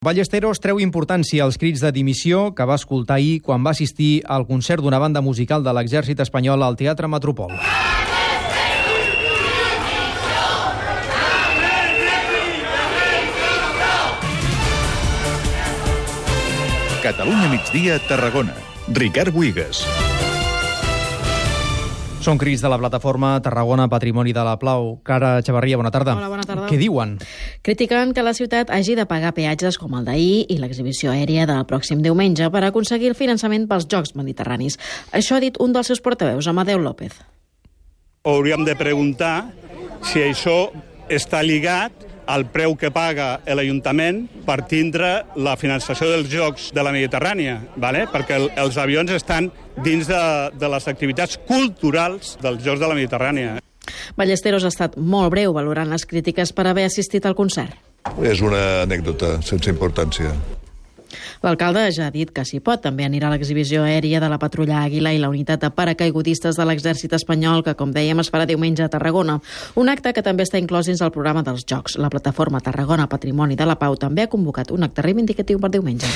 Ballesteros treu importància als crits de dimissió que va escoltar ahir quan va assistir al concert d'una banda musical de l'exèrcit espanyol al Teatre Metropol. Catalunya migdia, Tarragona. Ricard Buigas. Són crits de la plataforma Tarragona Patrimoni de la Pau. Cara Xavarria, bona tarda. Hola, bona tarda. Què diuen? Critiquen que la ciutat hagi de pagar peatges com el d'ahir i l'exhibició aèria del pròxim diumenge per aconseguir el finançament pels Jocs Mediterranis. Això ha dit un dels seus portaveus, Amadeu López. Hauríem de preguntar si això està lligat al preu que paga l'Ajuntament per tindre la finançació dels Jocs de la Mediterrània, ¿vale? Perquè els avions estan dins de les activitats culturals dels Jocs de la Mediterrània. Ballesteros ha estat molt breu valorant les crítiques per haver assistit al concert. És una anècdota sense importància. L'alcalde ja ha dit que s'hi pot. També anirà a l'exhibició aèria de la Patrulla Àguila i la unitat de paracaigudistes de l'exèrcit espanyol, que, com dèiem, es farà diumenge a Tarragona. Un acte que també està inclòs dins el programa dels Jocs. La plataforma Tarragona Patrimoni de la Pau també ha convocat un acte reivindicatiu per diumenge.